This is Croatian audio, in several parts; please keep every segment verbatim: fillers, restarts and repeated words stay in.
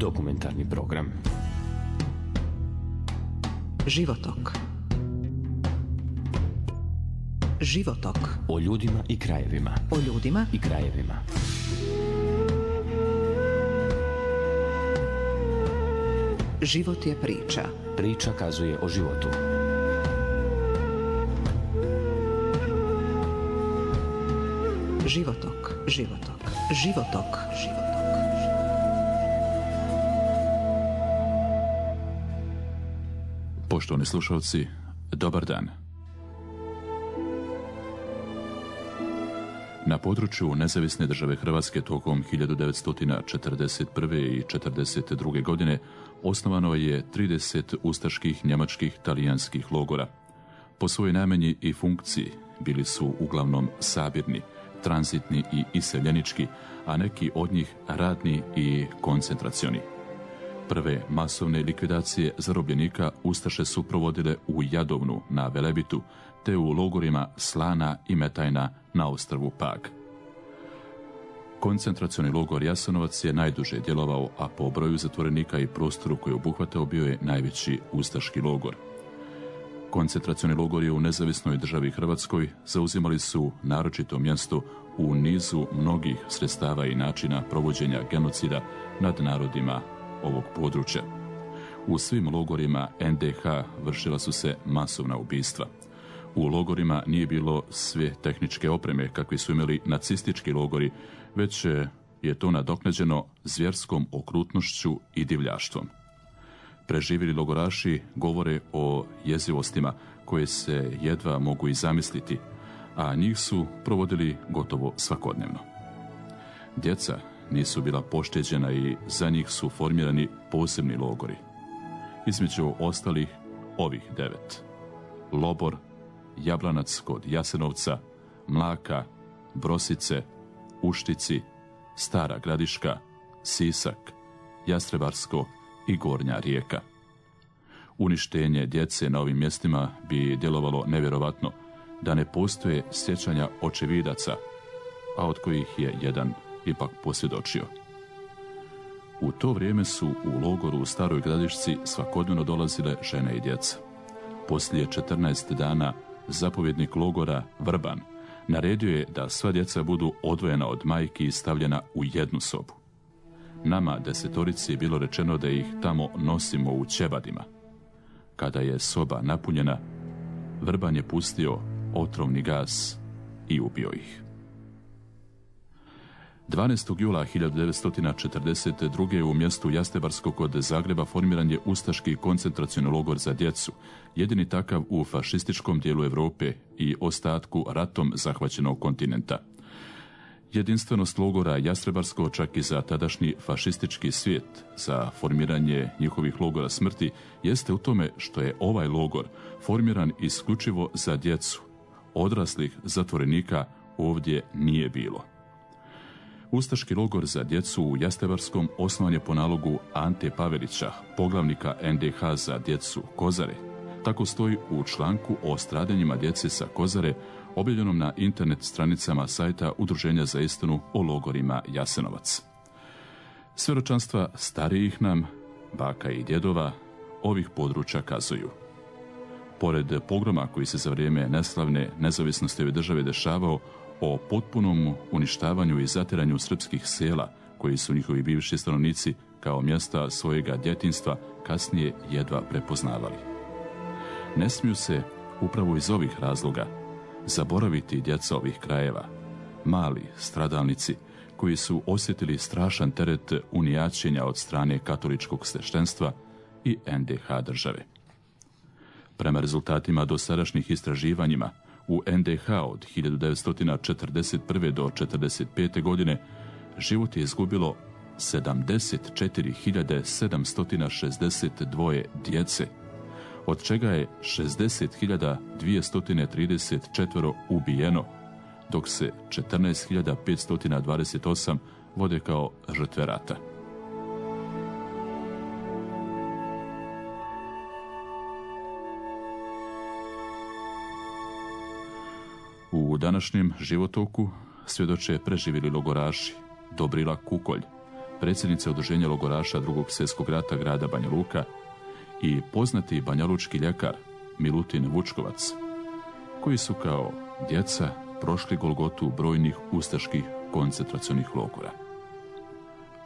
Dokumentarni program. Životok. Životok. O ljudima i krajevima. O ljudima i krajevima. Život je priča. Priča kazuje o životu. Životok. Životok. Životok. Životok. Poštovani slušalci, dobar dan. Na području Nezavisne države Hrvatske tokom hiljadu devetsto četrdeset prve i četrdeset druge. godine osnovano je trideset ustaških, njemačkih, talijanskih logora. Po svojoj namjeni i funkciji bili su uglavnom sabirni, tranzitni i iseljenički, a neki od njih radni i koncentracioni. Prve masovne likvidacije zarobljenika ustaše su provodile u Jadovnu na Velebitu, te u logorima Slana i Metajna na ostrvu Pag. Koncentracioni logor Jasenovac je najduže djelovao, a po broju zatvorenika i prostoru koji je obuhvatao bio je najveći ustaški logor. Koncentracioni logori u Nezavisnoj državi Hrvatskoj zauzimali su naročito mjesto u nizu mnogih sredstava i načina provođenja genocida nad narodima ovog područja. U svim logorima en de ha vršila su se masovna ubistva. U logorima nije bilo sve tehničke opreme kakvi su imali nacistički logori, već je to nadoknađeno zvjerskom okrutnošću i divljaštvom. Preživjeli logoraši govore o jezivostima koje se jedva mogu i zamisliti, a njih su provodili gotovo svakodnevno. Djeca nisu bila pošteđena i za njih su formirani posebni logori. Između ostalih ovih devet: Lobor, Jablanac kod Jasenovca, Mlaka, Brosice, Uštici, Stara Gradiška, Sisak, Jastrebarsko i Gornja Rijeka. Uništenje djece na ovim mjestima bi djelovalo nevjerovatno da ne postoje sjećanja očevidaca, a od kojih je jedan ipak posvjedočio. U to vrijeme su u logoru u Staroj Gradišci svakodnevno dolazile žene i djeca. Poslije četrnaest dana zapovjednik logora Vrban naredio je da sva djeca budu odvojena od majki i stavljena u jednu sobu. Nama desetorici je bilo rečeno da ih tamo nosimo u ćebadima. Kada je soba napunjena, Vrban je pustio otrovni gas i ubio ih. dvanaestog jula hiljadu devetsto četrdeset druge. u mjestu Jastrebarsko kod Zagreba formiran je ustaški koncentracioni logor za djecu, jedini takav u fašističkom dijelu Europe i ostatku ratom zahvaćenog kontinenta. Jedinstvenost logora Jastrebarsko čak i za tadašnji fašistički svijet, za formiranje njihovih logora smrti, jeste u tome što je ovaj logor formiran isključivo za djecu. Odraslih zatvorenika ovdje nije bilo. Ustaški logor za djecu u Jastrebarskom osnovan je po nalogu Ante Pavelića, poglavnika en de ha za djecu Kozare. Tako stoji u članku o stradanjima djece sa Kozare, objavljenom na internet stranicama sajta Udruženja za istinu o logorima Jasenovac. Svjedočanstva starijih nam, baka i djedova, ovih područja kazuju. Pored pogroma koji se za vrijeme neslavne nezavisnosti ove države dešavao, o potpunom uništavanju i zatiranju srpskih sela, koji su njihovi bivši stanovnici kao mjesta svojega djetinjstva kasnije jedva prepoznavali. Ne smiju se, upravo iz ovih razloga, zaboraviti djeca ovih krajeva, mali stradalnici koji su osjetili strašan teret unijaćenja od strane katoličkog sveštenstva i en de ha države. Prema rezultatima dosadašnjih istraživanjima, u en de ha od hiljadu devetsto četrdeset prve. do četrdeset pete. godine život je izgubilo sedamdeset četiri hiljade sedamsto šezdeset dvoje djece, od čega je šezdeset hiljada dvjesto trideset četiri ubijeno, dok se četrnaest hiljada petsto dvadeset osam vode kao žrtve rata. U današnjem životoku svjedoče preživjeli logoraši Dobrila Kukolj, predsjednica udruženja logoraša Drugog svjetskog rata grada Banja Luka i poznati banjalučki ljekar Milutin Vučkovac, koji su kao djeca prošli golgotu brojnih ustaških koncentracionih logora.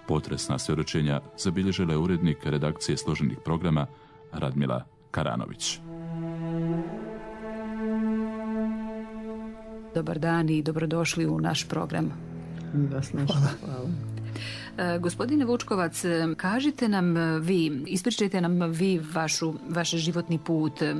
Potresna svjedočenja zabilježila je urednik redakcije složenih programa Radmila Karanović. Dobar dan i dobrodošli u naš program. Hvala. Hvala. E, gospodine Vučkovac, kažite nam vi, ispričajte nam vi vašu, vaš životni put. E,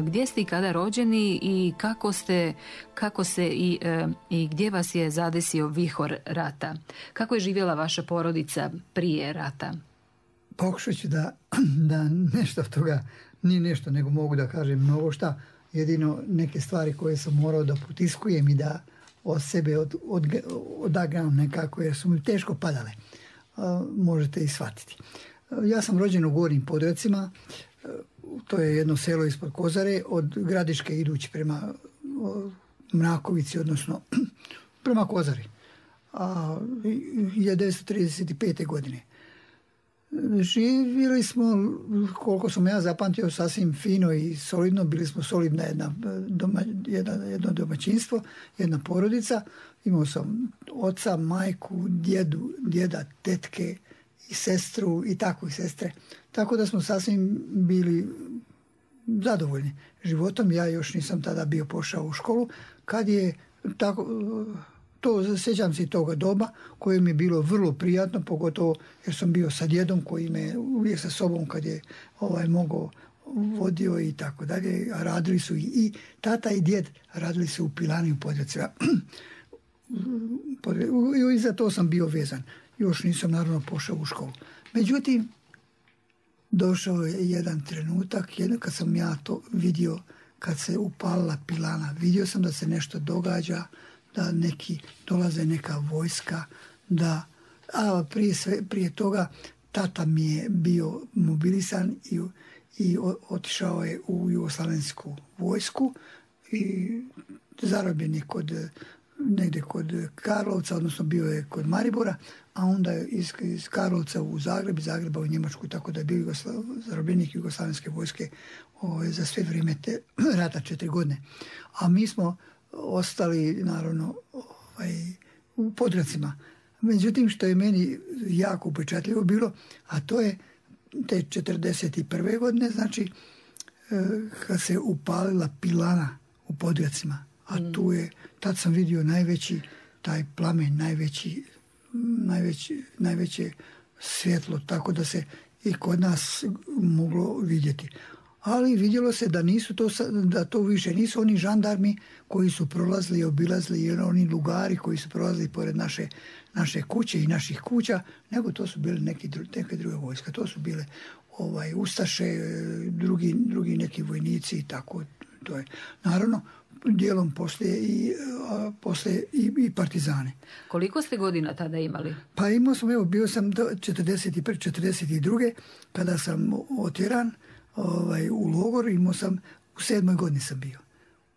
gdje ste i kada rođeni i kako ste, kako se i, e, i gdje vas je zadesio vihor rata? Kako je živjela vaša porodica prije rata? Pokušat ću da, da nešto od toga, nije nešto, nego mogu da kažem mnogo šta. Jedino neke stvari koje sam morao da potiskujem i da od sebe od, od, odagram nekako, jer su mi teško padale. A, možete i shvatiti. Ja sam rođen u Gornjim Podrjacima, to je jedno selo ispod Kozare, od Gradiške idući prema o, Mrakovici, odnosno prema Kozari. A, hiljadu devetsto trideset pete. godine. Živjeli smo, koliko sam ja zapamtio, sasvim fino i solidno. Bili smo solidna jedna, doma, jedna, jedno domaćinstvo, jedna porodica. Imao sam oca, majku, djedu, djeda, tetke i sestru i tako i sestre. Tako da smo sasvim bili zadovoljni životom. Ja još nisam tada bio pošao u školu. Kad je tako... To, sjećam se toga doba koje mi je bilo vrlo prijatno, pogotovo jer sam bio sa djedom koji me uvijek sa sobom kad je ovaj, mogao vodio i tako dalje. Radili su i, i tata i djed radili su u pilani u Podrjacima. I za to sam bio vezan. Još nisam naravno pošao u školu. Međutim, došao je jedan trenutak jedan kad sam ja to vidio, kad se upalila pilana. Vidio sam da se nešto događa, da neki dolaze neka vojska, da, a prije, sve, prije toga tata mi je bio mobilisan i, i otišao je u jugoslavensku vojsku i zarobljen je kod, negdje kod Karlovca, odnosno bio je kod Maribora, a onda je iz, iz Karlovca u Zagreb, iz Zagreba u Njemačku, tako da je bio Jugoslav, zarobljenik jugoslavenske vojske o, za sve vrijeme te rata četiri godine. A mi smo ostali naravno ovaj, u Podrjacima. Međutim, što je meni jako upečatljivo bilo, a to je te četrdeset prve. godine, znači kad se upalila pilana u Podrjacima, a mm. tu je, tad sam vidio najveći taj plamen, najveći, najveći, najveće svjetlo, tako da se i kod nas moglo vidjeti. Ali vidjelo se da nisu to, da to više nisu oni žandarmi koji su prolazili i obilazili, jer oni lugari koji su prolazili pored naše, naše kuće i naših kuća, nego to su bile neki, neke druge vojske. To su bile ovaj, ustaše, drugi, drugi neki vojnici i tako. To je. Naravno, dijelom poslije i, a, poslije i, i partizane. Koliko ste godina tada imali? Pa imao sam, evo, bio sam do četrdeset prve. četrdeset druge. kada sam otjeran ovaj, u logor, imao sam, u sedmoj godini sam bio.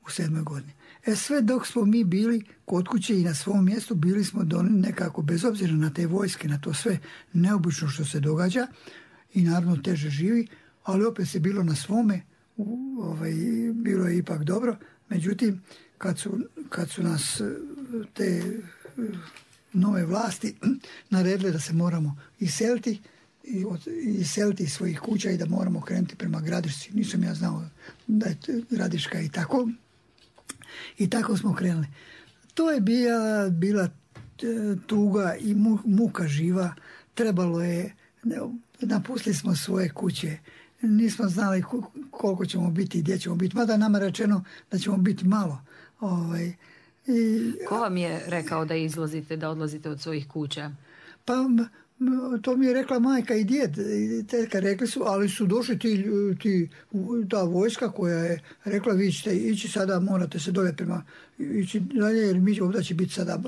U sedmoj godini. E sve dok smo mi bili kod kuće i na svom mjestu, bili smo nekako, bez obzira na te vojske, na to sve neobično što se događa i naravno teže živi, ali opet se bilo na svome, ovaj, bilo je ipak dobro. Međutim, kad su, kad su nas te nove vlasti naredile da se moramo iseliti, i iseliti iz svojih kuća i da moramo krenuti prema Gradišci. Nisam ja znao da je Gradiška i tako. I tako smo krenuli. To je bila, bila tuga i muka živa. Trebalo je, napustili smo svoje kuće. Nismo znali koliko ćemo biti i gdje ćemo biti. Mada nama je rečeno da ćemo biti malo. Ovaj, i, Ko vam je rekao da izlazite, da odlazite od svojih kuća? Pa to mi je rekla majka i djed. I tetka rekli su, ali su došli ti, ti, ta vojska koja je rekla vi ćete ići sada, morate se dolje prema ići dalje, jer mi ovdje će biti sada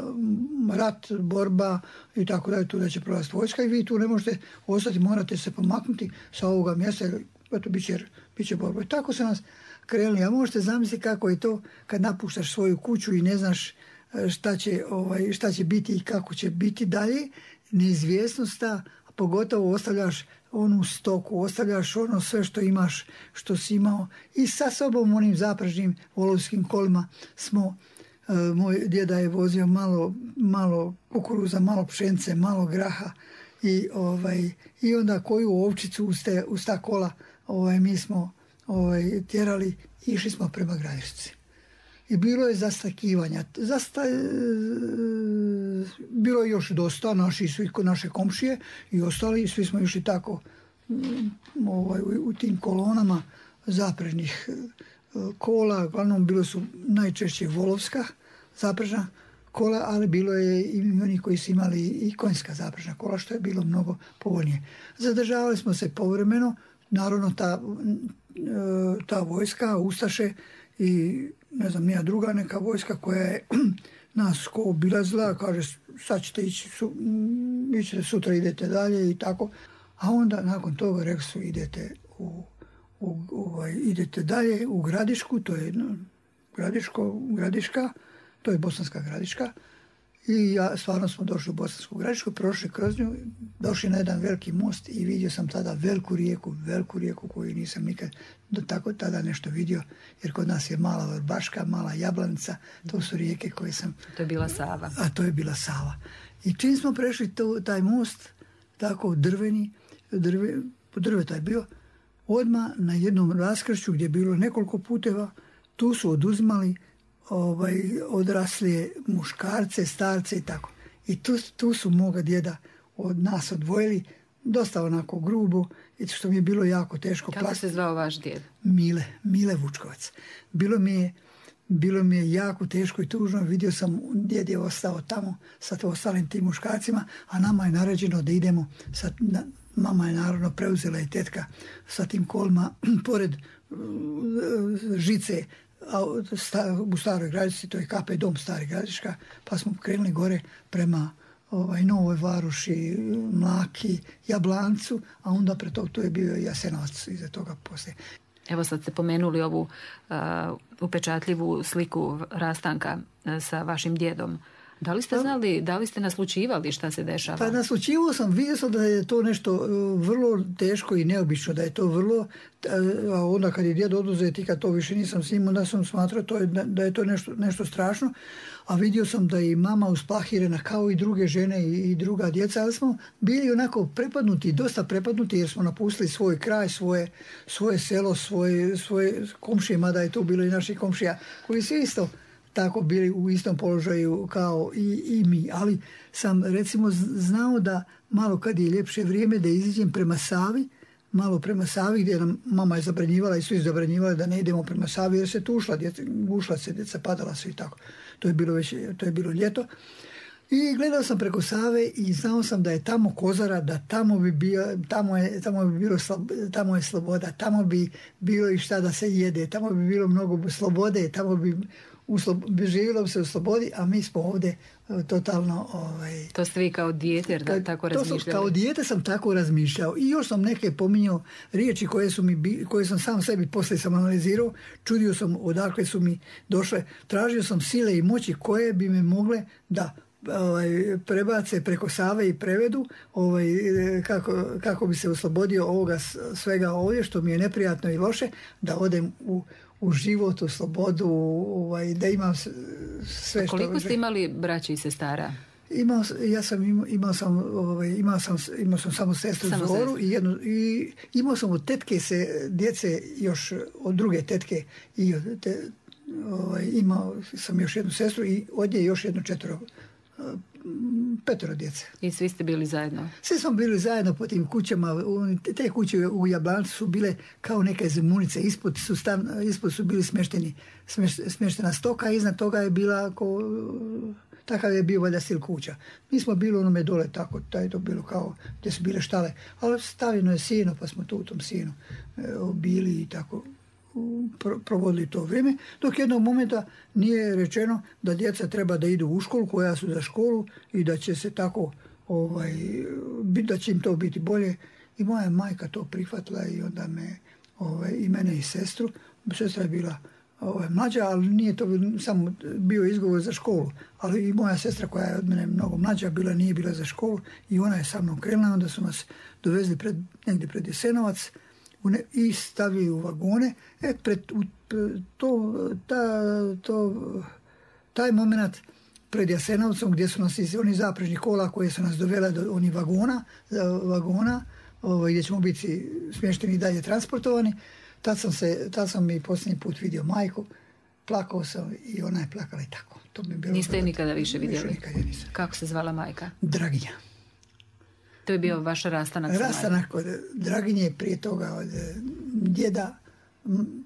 rat, borba i tako dalje, tu da će prolaziti vojska i vi tu ne možete ostati, morate se pomaknuti sa ovoga mjesta, jer eto, bit će, bit će borba. I tako se nas krenuli. A možete zamisliti kako je to kad napuštaš svoju kuću i ne znaš šta će, ovaj, šta će biti i kako će biti dalje. neizvjesnost ta, a pogotovo ostavljaš onu stoku, ostavljaš ono sve što imaš, što si imao i sa sobom onim zapražnim volovskim kolima smo, uh, moj djeda je vozio malo, malo kukuruza, malo pšence, malo graha i, ovaj, i onda koju ovčicu uz, te, uz ta kola ovaj, mi smo ovaj, tjerali i išli smo prema Gradišci. I bilo je zastakivanja. Zasta, bilo je još dosta, naši svi naše komšije i ostali, svi smo išli tako ovaj, u, u tim kolonama zaprežnih kola. Uglavnom bilo su najčešće volovska zaprežna kola, ali bilo je i oni koji su imali i konjska zaprežna kola, što je bilo mnogo povoljnije. Zadržavali smo se povremeno, naravno ta, ta vojska, ustaše i ne znam, nija druga neka vojska koja je nas ko obilazila, kaže sad ćete ići, su, ićete sutra, idete dalje i tako. A onda nakon toga rekli su idete, u, u, ovaj, idete dalje u Gradišku, to je no, Gradiško, Gradiška, to je Bosanska Gradiška. I ja, stvarno smo došli u Bosansku Gradišku, prošli kroz nju, došli na jedan veliki most i vidio sam tada veliku rijeku, veliku rijeku koju nisam nikad do tako tada nešto vidio, jer kod nas je mala Vrbaška, mala Jablanica, to su rijeke koje sam... To je bila Sava. A to je bila Sava. I čim smo prešli to, taj most, tako drveni, drve, drveta je bio, odmah na jednom raskršću gdje je bilo nekoliko puteva, tu su oduzimali ovaj, odraslije muškarce, starce i tako. I tu, tu su moga djeda od nas odvojili, dosta onako grubo, i što mi je bilo jako teško. Kako plast... se zvao vaš djed? Mile, Mile Vučkovac. Bilo mi je, bilo mi je jako teško i tužno. Vidio sam, djed je ostao tamo sa ostalim tim muškarcima, a nama je naređeno da idemo, sa, na, mama je naravno preuzela i tetka sa tim kolima, pored uh, žice, u Staroj Gradišci, to je K P dom Stari Gradiška, pa smo krenuli gore prema ovaj, Novoj Varoši, Mlaki, Jablancu, a onda pre toga to je bio Jasenovac iza toga poslije. Evo sad ste pomenuli ovu uh, upečatljivu sliku rastanka uh, sa vašim djedom. Da li ste znali, da li ste naslučivali šta se dešava? Pa naslučivao sam, vidio sam da je to nešto vrlo teško i neobično, da je to vrlo, a onda kad je djed oduzet i kad to više nisam s njim, onda sam smatrao to je, da je to nešto, nešto strašno, a vidio sam da je i mama usplahirena kao i druge žene i, i druga djeca, ali smo bili onako prepadnuti, dosta prepadnuti jer smo napustili svoj kraj, svoje, svoje selo, svoje, svoje komšije, mada je to bilo i naših komšija, koji su isto tako bili u istom položaju kao i, i mi. Ali sam recimo znao da malo kad je ljepše vrijeme da iziđem prema Savi, malo prema Savi gdje nam mama je zabranjivala i svi zabranjivali da ne idemo prema Savi jer se tu ušla, djeca, ušla se djeca, padala se i tako. To je bilo već, to je bilo ljeto. I gledao sam preko Save i znao sam da je tamo Kozara, da tamo bi bio, tamo je, tamo bi bilo, tamo je sloboda, tamo bi bilo i šta da se jede, tamo bi bilo mnogo slobode, tamo bi živjelo se u slobodi, a mi smo ovdje totalno... Ovaj, to ste vi kao dijete da, tako razmišljali? Sam, kao dijete sam tako razmišljao. I još sam neke pominjao riječi koje, su mi, koje sam sam sebi poslije sam analizirao. Čudio sam odakle su mi došle. Tražio sam sile i moći koje bi me mogle da ovaj, prebace preko Save i prevedu ovaj, kako, kako bi se oslobodio ovoga svega ovdje što mi je neprijatno i loše, da odem u u život, u slobodu, ovaj, da imam sve što... Koliko ste imali braća i sestara? Imao, ja sam imao, imao sam, ovaj, imao sam, imao sam samo sestru samo Zoru i, jednu, i imao sam od tetke se djece još od druge tetke i od te, ovaj, imao sam još jednu sestru i od nje još jednu četvero, petero djece. I svi ste bili zajedno? Svi smo bili zajedno po tim kućama. Te kuće u Jablancu su bile kao neke zemunice. Ispod su, stan, ispod su bili smješteni, smještena stoka, a iznad toga je bila ko, takav je bio valjda stil kuća. Mi smo bili onome dole tako, da je to bilo kao gdje su bile štale. Ali stavljeno je sino, pa smo tu u tom sinu bili i tako provodili to vrijeme, dok jednog momenta nije rečeno da djeca treba da idu u školu, koja su za školu i da će se tako, ovaj, da će im to biti bolje. I moja majka to prihvatila i onda me, ovaj, i mene i sestru, sestra je bila ovaj, mlađa, ali nije to samo bio izgovor za školu. Ali i moja sestra koja je od mene mnogo mlađa, bila nije bila za školu i ona je sa mnom krenula, onda su nas dovezli pred, negdje pred Jasenovac ne, i stavili u vagone. E, pred, u, to, ta, to, taj moment pred Jasenovcom gdje su nas iz onih zaprežnih kola koje su nas dovela do onih vagona, vagona ovaj, gdje ćemo biti smješteni i dalje transportovani. Tad sam, se, tad sam i posljednji put vidio majku, plakao sam i ona je plakala i tako. To mi je bilo Niste je nikada više vidjeli? Više nikada nisam. Kako se zvala majka? Draginja. To je bio vaš rastanak sa majkom? Rastanak od Draginje, prije toga od djeda.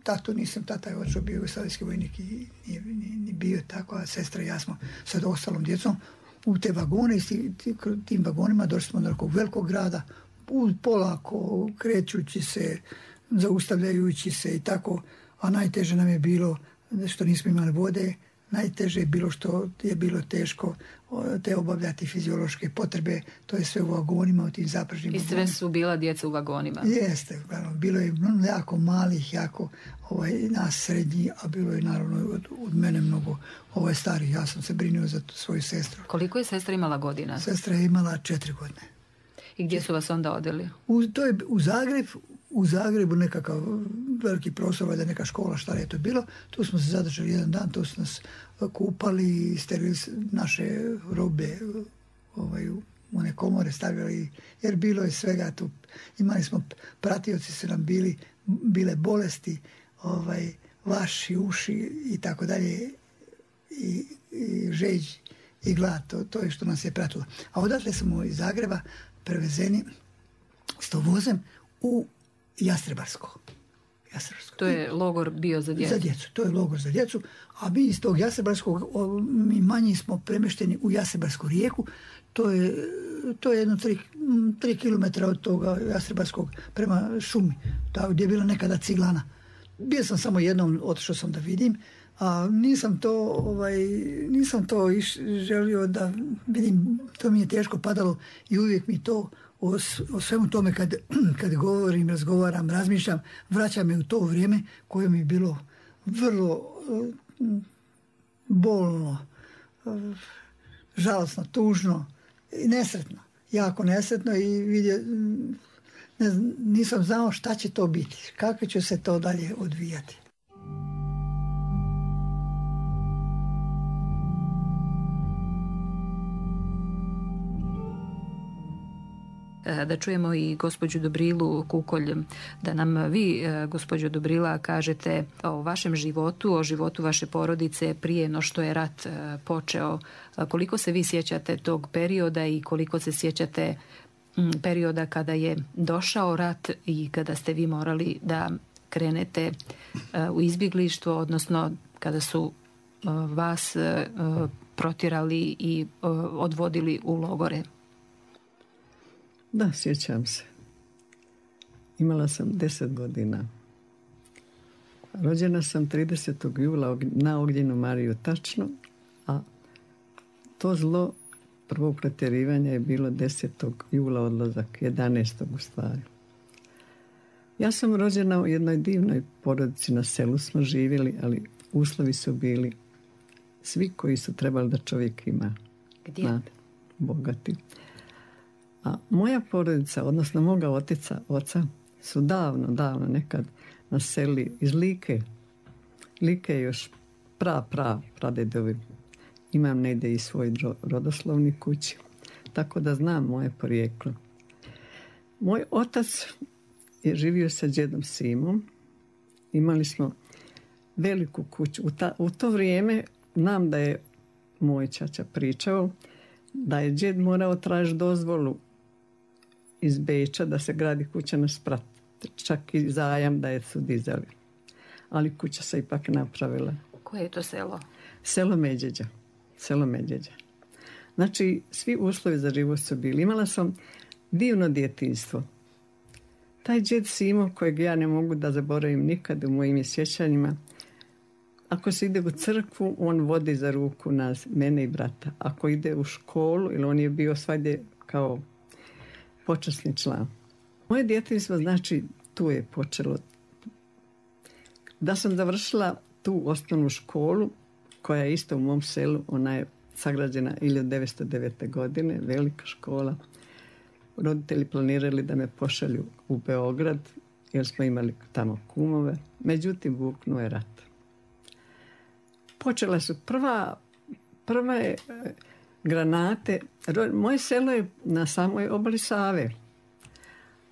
Tatu nisam, tata je očeo bio jugoslavijski vojnik i nije ni bio tako, a sestra i ja smo sa ostalom djecom u te vagone i tim, tim vagonima došli smo do nekog velikog grada, polako, krećući se, zaustavljajući se i tako, a najteže nam je bilo što nismo imali vode, najteže je bilo što je bilo teško te obavljati fiziološke potrebe, to je sve u vagonima, u tim zapražnim vagonima. I sve su bila djeca u vagonima? Jeste, bilo je jako malih, jako ovaj, nas srednji, a bilo je naravno od, od mene mnogo ovaj, starih. Ja sam se brinuo za svoju sestru. Koliko je sestra imala godina? Sestra je imala četiri godine. I gdje su vas onda odveli? U, to je u Zagreb, u Zagrebu nekakav veliki prostor, valjda neka škola, šta je to bilo. Tu smo se zadržali jedan dan, tu su nas kupali, sterili naše robe ovaj, u one komore stavili, jer bilo je svega tu. Imali smo, pratioci su nam bili, bile bolesti, ovaj, vaši, uši i tako dalje, i, i žeđ i glad, to, to je što nas je pratilo. A odatle smo iz Zagreba prevezeni s tovozem u Jastrebarsko. Jastrebarsko. To je logor bio za djecu? Za djecu, to je logor za djecu. A mi iz tog Jastrebarskog, mi manji smo premješteni u Jastrebarsku rijeku. To je, to je jedno tri, tri kilometra od toga Jastrebarskog prema šumi, ta, gdje je bila nekada ciglana. Bio sam samo jednom, otišao sam da vidim, a nisam to, ovaj, nisam to iš, želio da vidim, to mi je teško padalo i uvijek mi to o, o svemu tome kad, kad govorim, razgovaram, razmišljam, vraća me u to vrijeme koje mi je bilo vrlo uh, bolno, uh, žalosno, tužno i nesretno, jako nesretno i vidio, ne znam, nisam znao šta će to biti, kako će se to dalje odvijati. Da čujemo i gospođu Dobrilu Kukolj, da nam vi, gospođo Dobrila, kažete o vašem životu, o životu vaše porodice prije no što je rat počeo. Koliko se vi sjećate tog perioda i koliko se sjećate perioda kada je došao rat i kada ste vi morali da krenete u izbjeglištvo, odnosno kada su vas protjerali i odvodili u logore? Da, sjećam se. Imala sam deset godina. Rođena sam tridesetog jula na Ognjenu Mariju tačno, a to zlo prvog protjerivanja je bilo desetog jula odlazak, jedanaestog u stvari. Ja sam rođena u jednoj divnoj porodici, na selu smo živjeli, ali uslovi su bili svi koji su trebali da čovjek ima. Gdje? Znate, bogati. A moja porodica, odnosno moga otica, oca, su davno, davno nekad naseli iz Like. Like je još pra, pra, pradedovi. Imam negdje i svoj rodoslovni kući, tako da znam moje porijeklo. Moj otac je živio sa djedom Simom. Imali smo veliku kuću. U, ta, u to vrijeme znam da je moj čača pričao da je djed morao tražiti dozvolu iz Beča da se gradi kuća na sprat. Čak i zajam da je su dizali. Ali kuća se ipak napravila. Koje je to selo? Selo Medjeđa. Selo Medjeđa. Znači, svi uslovi za život su bili. Imala sam divno djetinjstvo. Taj djed Simo, kojeg ja ne mogu da zaboravim nikad u mojim sjećanjima, ako se ide u crkvu, on vodi za ruku nas, mene i brata. Ako ide u školu, ili on je bio svagdje kao počasni član. Moje djetinjstvo, znači, tu je počelo. Da sam završila tu osnovnu školu koja je isto u mom selu, ona je sagrađena hiljadu devetsto devete. godine, velika škola. Roditelji planirali da me pošalju u Beograd jer smo imali tamo kumove. Međutim, buknuo je rat. Počela su prva, prve granate. Moje selo je na samoj obali Save,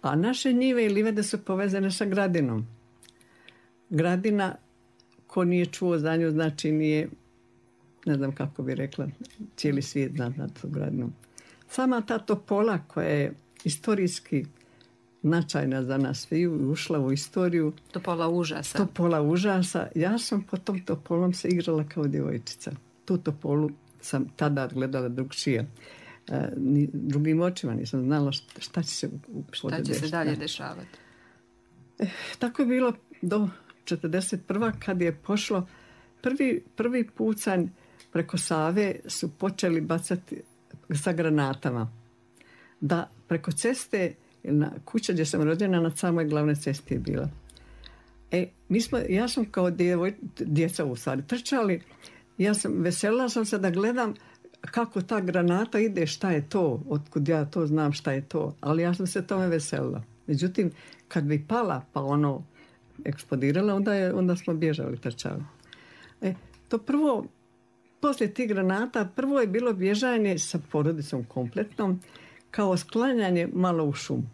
a naše njive i livade su povezane sa Gradinom. Gradina, ko nije čuo za nju, znači nije, ne znam kako bi rekla, cijeli svijet zna na tu Gradinu. Sama ta Topola koja je istorijski značajna za nas sviju, ušla u istoriju. Topola užasa. Topola užasa. Ja sam po tom Topolom se igrala kao djevojčica. Tu Topolu sam tada gledala drugčije. E, ni, drugim očima nisam znala šta, šta će se u Šta će se dalje dešavati. E, tako je bilo do četrdeset prve. kad je pošlo prvi, prvi pucanj preko Save su počeli bacati sa granatama. Da preko ceste, na kuća gdje sam rođena, na samoj glavnoj cesti je bila. E, mi smo, ja sam kao djevoj, djeca u stvari trčali, ja sam, veselila sam se da gledam kako ta granata ide, šta je to, otkud ja to znam šta je to, ali ja sam se tome veselila. Međutim, kad bi pala, pa ono eksplodirala, onda, je, onda smo bježali, trčali. E, to prvo, poslije tih granata, prvo je bilo bježanje sa porodicom kompletnom, kao sklanjanje malo u šumu.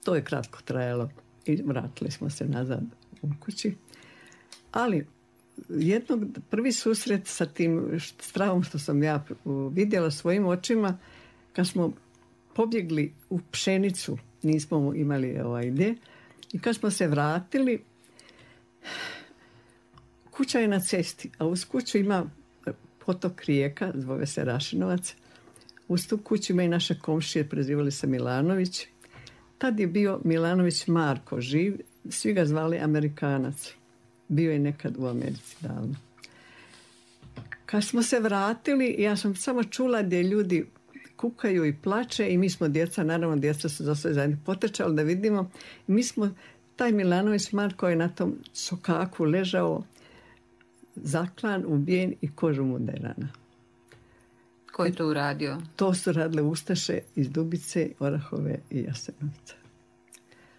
To je kratko trajalo i vratili smo se nazad u kući. Ali jednog, prvi susret sa tim strahom što sam ja vidjela svojim očima, kad smo pobjegli u pšenicu, nismo imali ovaj gdje, i kad smo se vratili, kuća je na cesti, a uz kuću ima potok rijeka, zove se Rašinovac. Uz tu kuću ima i naše komšije, prezivali se Milanović. Tad je bio Milanović Marko živ, svi ga zvali Amerikanac. Bio je nekad u Americi davno. Kad smo se vratili, ja sam samo čula gdje ljudi kukaju i plače i mi smo djeca, naravno djeca su za sve zajedno potrčali da vidimo. I mi smo, taj Milanović Marko je na tom sokaku ležao, zaklan, ubijen i kožu mu derana. Ko je to uradio? To su radile ustaše iz Dubice, Orahove i Jasenovca.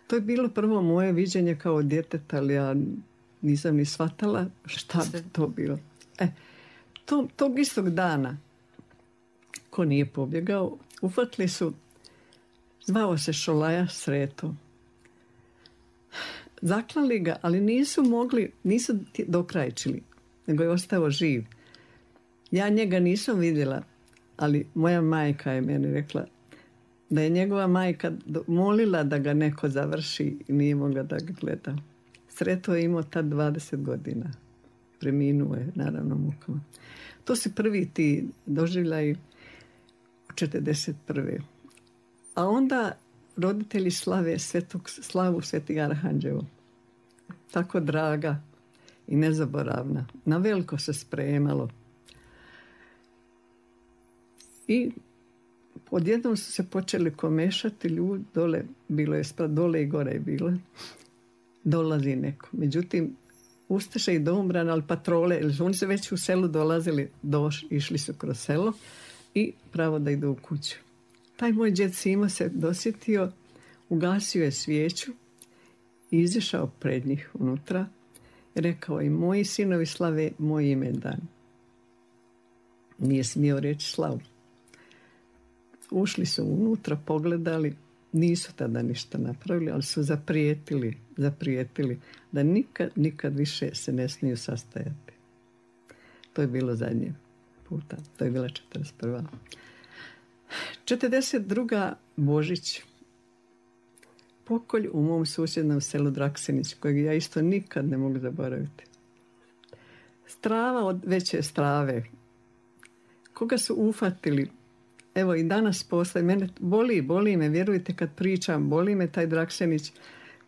To je bilo prvo moje viđenje kao djeteta, ali ja nisam ni shvatala šta bi to bilo. E, to, tog istog dana, ko nije pobjegao, uhvatili su, zvao se Šolaja Sreto. Zaklali ga, ali nisu mogli, nisu dokrajčili, nego je ostao živ. Ja njega nisam vidjela, ali moja majka je meni rekla da je njegova majka molila da ga neko završi i nije mogla da ga gleda. Sreto je imao tad dvadeset godina. Preminuo je, naravno, mukama. To su prvi ti doživljaji u četrdeset prve. A onda roditelji slave svetog, slavu Svetog Arhanđevo. Tako draga i nezaboravna. Na veliko se spremalo. I odjednom su se počeli komešati ljudi dole, bilo je sprat dole i gore je bilo. Dolazi neko. Međutim, ustaše i domobran, ali patrole, jer oni su već u selu dolazili, doš, išli su kroz selo i pravo da idu u kuću. Taj moj djed Simo se dosjetio, ugasio je svijeću i izišao pred njih unutra i rekao i moji sinovi slave moj imendan. Nije smio reći slavu. Ušli su unutra, pogledali, nisu tada ništa napravili, ali su zaprijetili, zaprijetili da nikad, nikad više se ne smiju sastajati. To je bilo zadnje puta. To je bila četrdeset prva. četrdeset druga. Božić. Pokolj u mom susjednom selu Draksenić, kojeg ja isto nikad ne mogu zaboraviti. Strava od veće strave. Koga su ufatili? Evo i danas posle, mene boli, boli me, vjerujte kad pričam, boli me taj Draksenić.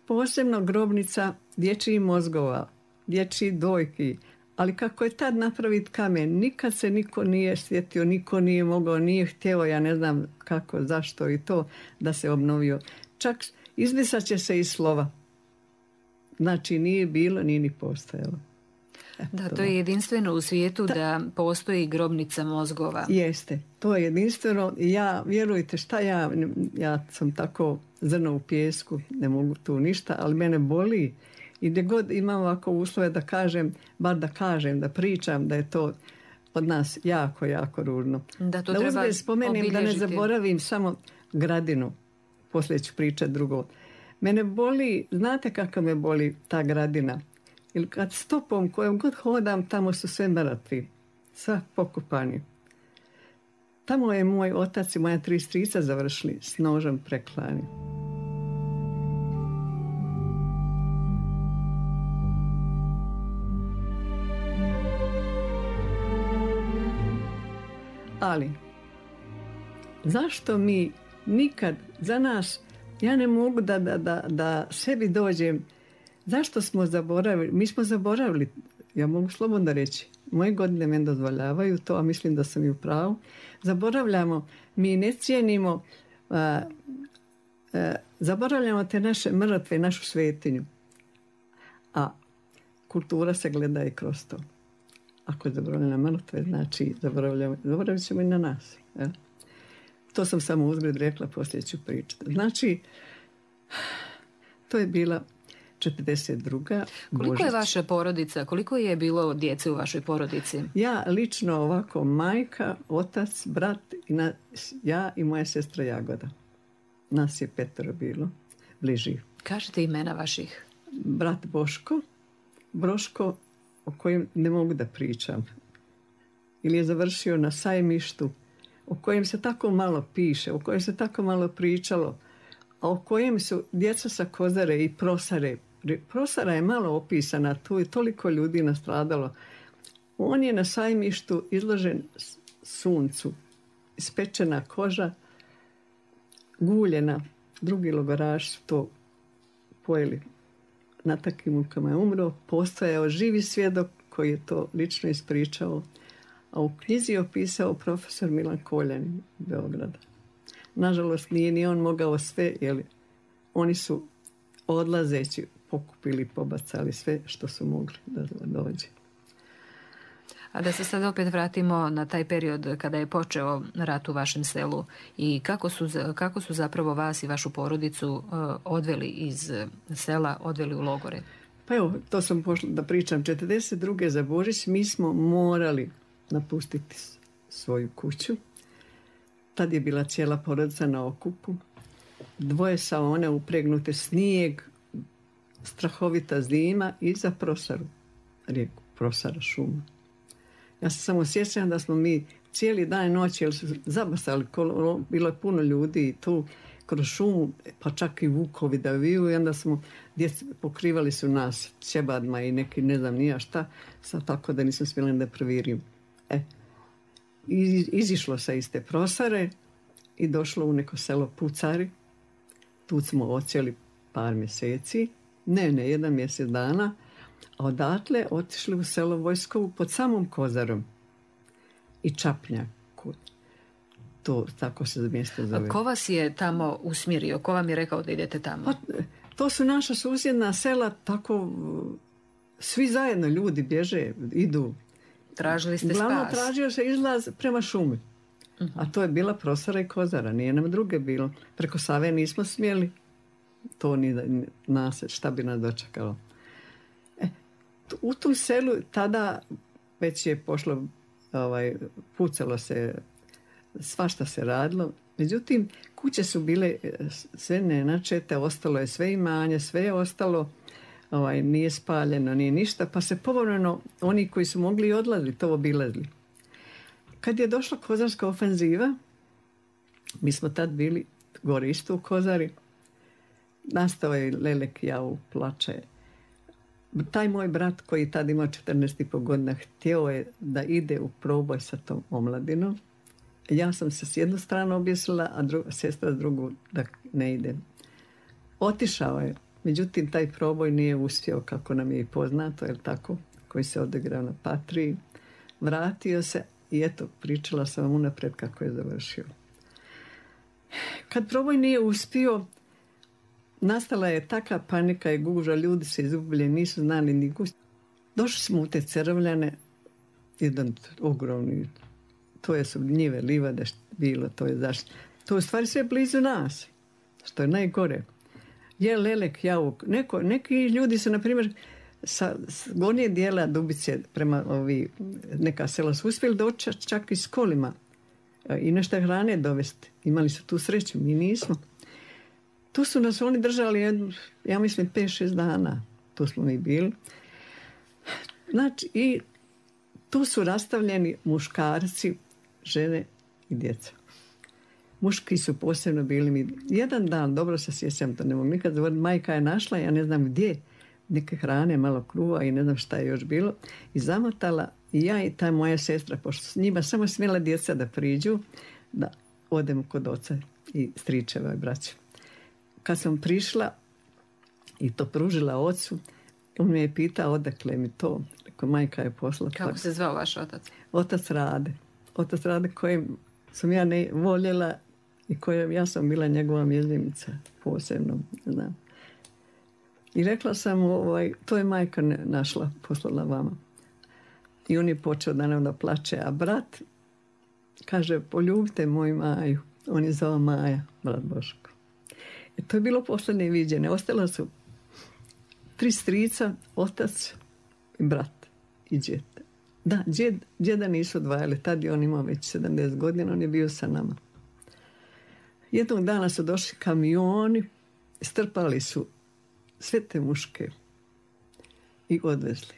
Posebno grobnica dječjih mozgova, dječjih dojki, ali kako je tad napraviti kamen, nikad se niko nije sjetio, niko nije mogao, nije htjeo, ja ne znam kako, zašto i to, da se obnovio. Čak izbrisat će se iz slova. Znači nije bilo, nije ni postojalo. Da, to je jedinstveno u svijetu da, da postoji grobnica mozgova. Jeste, to je jedinstveno. Ja, vjerujte šta ja, ja sam tako zrno u pijesku, ne mogu tu ništa, ali mene boli. I gdje god imam ovako uslove da kažem, bar da kažem, da pričam, da je to od nas jako, jako ružno. Da to da treba uzgled spomenem, obilježiti. Da ne zaboravim samo Gradinu, poslije ću pričati drugo. Mene boli, znate kako me boli ta Gradina? Ili kad stopom kojom god hodam, tamo su sve mrtvi, sva pokopani. Tamo je moj otac i moja tri strica završili s nožem preklani. Ali, zašto mi nikad za nas, ja ne mogu da, da, da, da sebi dođem, zašto smo zaboravili, mi smo zaboravili, ja mogu slobodno reći, moje godine me dozvoljavaju to, a mislim da sam i u pravu, zaboravljamo, mi ne cijenimo, a, a, zaboravljamo te naše mrtve, našu svetinju, a kultura se gleda i kroz to. Ako zaboravljamo mrtve, znači zaboravljamo, zaboravit ćemo i na nas. Ja? To sam samo uzgled rekla, poslije ću pričati. Znači, to je bila četrdeset druga. Koliko Božić. je vaša porodica, koliko je bilo djece u vašoj porodici? Ja lično ovako, majka, otac, brat, i na, ja i moja sestra Jagoda. Nas je petero bilo, bliži. Kažete imena vaših. Brat Boško, Broško, o kojem ne mogu da pričam. Ili je završio na Sajmištu, o kojem se tako malo piše, o kojem se tako malo pričalo, a o kojem su djeca sa Kozare i Prosare. Prosara je malo opisana, tu je toliko ljudi nastradalo. On je na Sajmištu izložen suncu, ispečena koža, guljena. Drugi logoraši su to pojeli. Na takvim mukama je umro. Postojao živi svjedok koji je to lično ispričao. A u knjizi je opisao profesor Milan Koljanin Beograda. Nažalost, nije ni on mogao sve, jer oni su odlazeći pokupili, pobacali sve što su mogli da dođe. A da se sad opet vratimo na taj period kada je počeo rat u vašem selu i kako su, kako su zapravo vas i vašu porodicu odveli iz sela, odveli u logore? Pa evo, to sam pošla da pričam. četrdeset druge za Božić mi smo morali napustiti svoju kuću. Tad je bila cijela porodica na okupu. Dvoje saone upregnute, snijeg, strahovita zima i za Prosaru, rijeku Prosara šuma. Ja se samo sjećam da smo mi cijeli dan i noć, jer su zabasali, bilo je puno ljudi i tu kroz šumu, pa čak i vukovi da viju, i onda smo, djeci pokrivali su nas ćebadma i neki ne znam nija šta, sad tako da nisam smjela da previrim. E, izišlo se iz te Prosare i došlo u neko selo Pucari. Tu smo ocijeli par mjeseci, ne, ne, jedan mjesec dana, a odatle otišli u selo Vojskovu pod samom Kozarom i Čapnjaku. To tako se mjesto zove. A ko vas je tamo usmjerio? Ko vam je rekao da idete tamo? Pa, to su naša susjedna sela, tako svi zajedno ljudi bježe, idu. Tražili ste Glavno spas? tražio se izlaz prema šumi. Uh-huh. A to je bila Prosara i Kozara, nije nam druge bilo. Preko Save nismo smjeli. To ni nas, šta bi nas dočekalo. E, u tom selu tada već je pošlo, ovaj, pucalo se, svašta se radilo. Međutim, kuće su bile sve nenačete, ostalo je sve imanje, sve je ostalo, ovaj, nije spaljeno, nije ništa, pa se povremeno oni koji su mogli odlazili, to obilazili. Kad je došla kozarska ofenziva, mi smo tad bili gore isto u Kozari, nastao je Lelek Jau plače. Taj moj brat koji tad imao četrnaest i pol godina htio je da ide u proboj sa tom omladinom. Ja sam se s jednu stranu objesila, a druga, sestra s drugu da ne ide. Otišao je, međutim taj proboj nije uspio kako nam je i poznato, je tako, koji se odigrao na Patriji. Vratio se i eto, pričala sam vam unaprijed kako je završio. Kad proboj nije uspio, nastala je taka panika i guža, ljudi se izgubili, nisu znali ni gust. Došli smo u te Cerovljane, jedan ogromni, to je su njive, livade bilo, to je zašto. To je u stvari sve blizu nas, što je najgore. Je lelek, jauk, neko, neki ljudi su, na primjer, sa gornje dijela Dubice prema ovi, neka sela su uspjeli doći čak i s kolima i nešto hrane dovesti. Imali su tu sreću, mi nismo. Tu su nas oni držali, jednu, ja mislim, pet šest dana. Tu smo mi bili. Znači, i tu su rastavljeni muškarci, žene i djeca. Muški su posebno bili mi. Jedan dan, dobro se sjećam, to ne mogu nikad zaboraviti, majka je našla, ja ne znam gdje, neke hrane, malo kruva i ne znam šta je još bilo, i zamotala i ja i ta moja sestra, pošto s njima samo smjela djeca da priđu, da odem kod oca i stričeva i braća. Kad sam prišla i to pružila ocu, on me je pitao odakle mi to. Rekao, majka je poslala. Kako se zvao vaš otac? Otac Rade. Otac Rade kojem sam ja ne voljela i kojem ja sam bila njegova mjezimica posebno, znam. I rekla sam, ovaj, to je majka našla, poslala vama. I on je počeo da nam da plače, a brat kaže, poljubite moju Maju. On je zvao Maja, brat Boško. I to je bilo posljednje viđene. Ostala su tri strica, otac i brat i djed. Da, djed, djeda nisu odvajali. Tad je on imao već sedamdeset godina, on je bio sa nama. Jednog dana su došli kamioni, strpali su sve te muške i odvezli.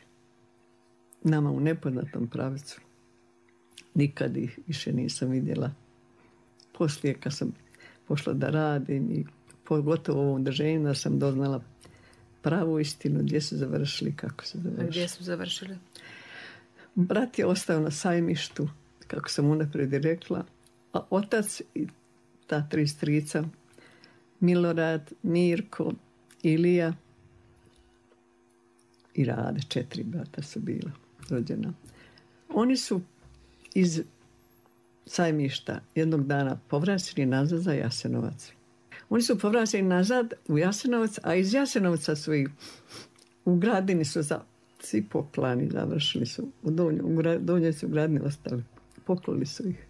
Nama u nepoznatom pravcu. Nikad ih više nisam vidjela. Poslije kad sam pošla da radim i pogotovo u ovom drženju da sam doznala pravu istinu gdje su završili, kako su završili. Gdje su završili? Brat je ostao na Sajmištu, kako sam unaprijed rekla, a otac i ta tri strica, Milorad, Mirko, Ilija i Rade, četiri brata su bila rođena. Oni su iz Sajmišta jednog dana povraćeni nazad za Jasenovac. Oni su povraćeni nazad u Jasenovac, a iz Jasenovca su ih u Gradini su za, svi poklani završili su. U Donju, u gra, Donjoj su u Gradini ostali. Poklali su ih.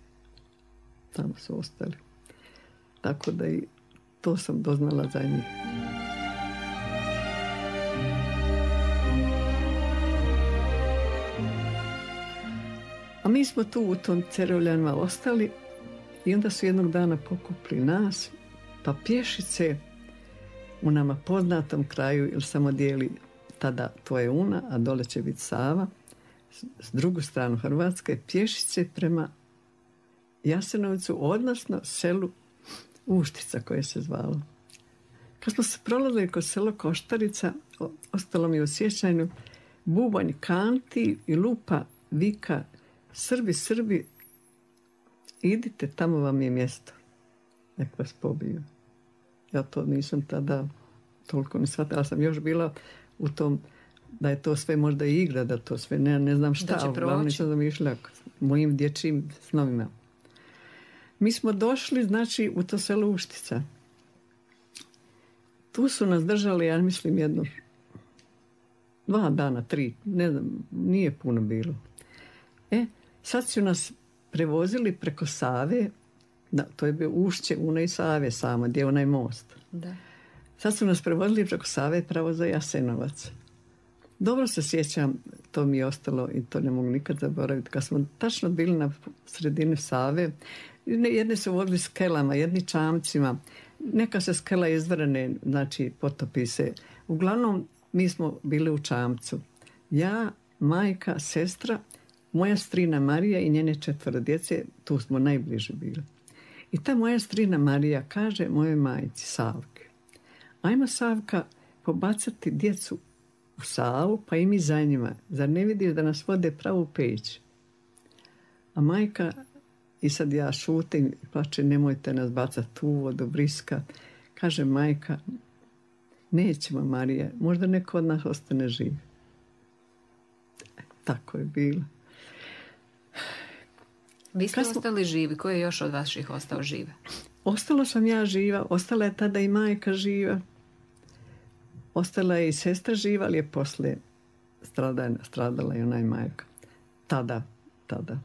Tamo su ostali. Tako da i to sam doznala za njih. A mi smo tu u tom Cerovljanima ostali i onda su jednog dana pokupili nas, pa pješice u nama poznatom kraju, jer samo dijeli tada to je Una, a dole će biti Sava, s drugu stranu Hrvatske, pješice prema Jasenovcu, odnosno selu Uštica koje se zvalo. Kad smo se prolazili kod selo Koštarica, ostalo mi u sjećanju, bubanj kanti i lupa vika, Srbi, Srbi, idite, tamo vam je mjesto. Nek vas pobiju. Ja to nisam tada toliko ne shvatila, sam još bila u tom, da je to sve možda i igra, da to sve ne, ne znam šta, da uglavnom nisam zamišljala mojim dječjim snovima. Mi smo došli, znači, u to selo Uštica. Tu su nas držali, ja mislim, jedno dva dana, tri, ne znam, nije puno bilo. E, sad su nas prevozili preko Save, da, to je bio ušće Une i Save samo, gdje je onaj most. Da. Sad su nas prevozili preko Save pravo za Jasenovac. Dobro se sjećam, to mi je ostalo i to ne mogu nikad zaboraviti. Kad smo tačno bili na sredini Save, jedne su vodili skelama, jedni čamcima, neka se skela izvrane, znači potopi se. Uglavnom, mi smo bili u čamcu. Ja, majka, sestra, moja strina Marija i njene četvoro djece, tu smo najbliže bili. I ta moja strina Marija kaže mojoj majci Savki, ajmo Savka pobacati djecu u Savu, pa i mi za njima. Zar ne vidiš da nas vode pravu peć? A majka, i sad ja šutim i plače, nemojte nas bacati u vodu, briska. Kaže majka, nećemo Marija, možda neko od nas ostane živ. Tako je bilo. Vi ste smo... ostali živi, ko je još od vaših ostao žive? Ostala sam ja živa, ostala je tada i majka živa. Ostala je i sestra živa, ali je poslije stradala, stradala i ona i majka. Tada, tada.